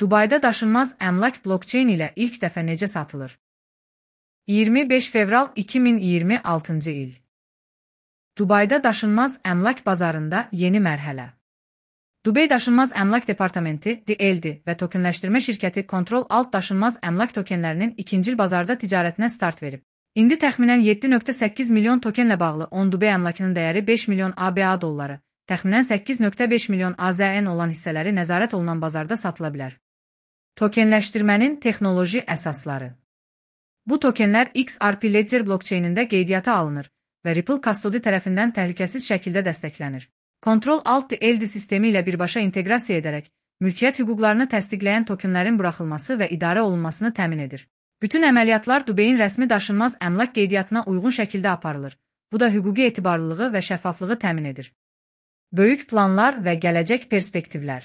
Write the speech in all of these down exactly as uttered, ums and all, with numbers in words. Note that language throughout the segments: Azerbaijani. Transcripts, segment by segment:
Dubayda daşınmaz əmlak blockchain ilə ilk dəfə necə satılır? iyirmi beş fevral iki min iyirmi altıncı il. Dubayda daşınmaz əmlak bazarında yeni mərhələ. Dubey Daşınmaz Əmlak Departamenti D L D və tokenləşdirmə şirkəti Control Alt daşınmaz əmlak tokenlərinin ikincil bazarda ticarətinə start verib. İndi təxminən yeddi nöqtə səkkiz milyon tokenlə bağlı on Dubey əmlakının dəyəri beş milyon A B A dolları, təxminən səkkiz nöqtə beş milyon A Z N olan hissələri nəzarət olunan bazarda satıla bilər. Tokenləşdirmənin texnoloji əsasları. Bu tokenlər X R P Ledger blockchainində qeydiyyata alınır və Ripple Custody tərəfindən təhlükəsiz şəkildə dəstəklənir. Control Alt D L D sistemi ilə birbaşa inteqrasiya edərək, mülkiyyət hüquqlarını təsdiqləyən tokenlərin buraxılması və idarə olunmasını təmin edir. Bütün əməliyyatlar Dubeyin rəsmi daşınmaz əmlak qeydiyyatına uyğun şəkildə aparılır. Bu da hüquqi etibarlılığı və şəffaflığı təmin edir. Böyük planlar və gələcək perspektivlər.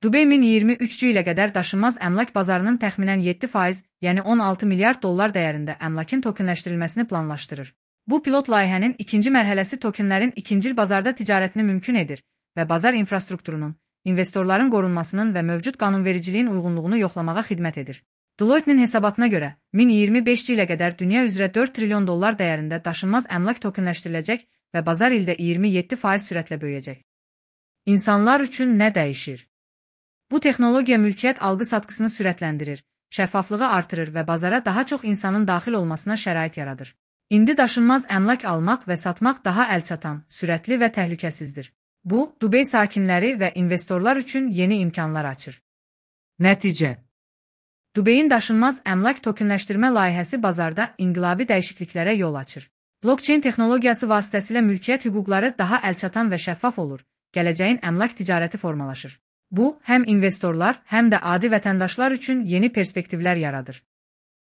Dubey iki min iyirmi üçüncü ilə qədər daşınmaz əmlak bazarının təxminən yeddi faiz, yəni on altı milyard dollar dəyərində əmlakın tokenləşdirilməsini planlaşdırır. Bu pilot layihənin ikinci mərhələsi tokenlərin ikincil bazarda ticarətini mümkün edir və bazar infrastrukturunun, investorların qorunmasının və mövcud qanunvericiliyin uyğunluğunu yoxlamağa xidmət edir. Deloitte'nin hesabatına görə, iki min iyirmi beşinci ilə qədər dünya üzrə dörd trilyon dollar dəyərində daşınmaz əmlak tokenləşdiriləcək və bazar ildə iyirmi yeddi faiz sürətlə böyüyəcək. İnsanlar üçün nə dəyişir? Bu texnologiya mülkiyyət alqı-satqısını sürətləndirir, şəffaflığı artırır və bazara daha çox insanın daxil olmasına şərait yaradır. İndi daşınmaz əmlak almaq və satmaq daha əlçatan, sürətli və təhlükəsizdir. Bu, Dubey sakinləri və investorlar üçün yeni imkanlar açır. Nəticə. Dubeyin daşınmaz əmlak tokenləşdirmə layihəsi bazarda inqilabi dəyişikliklərə yol açır. Blockchain texnologiyası vasitəsilə mülkiyyət hüquqları daha əlçatan və şəffaf olur, gələcəyin əmlak ticarəti formalaşır. Bu, həm investorlar, həm də adi vətəndaşlar üçün yeni perspektivlər yaradır.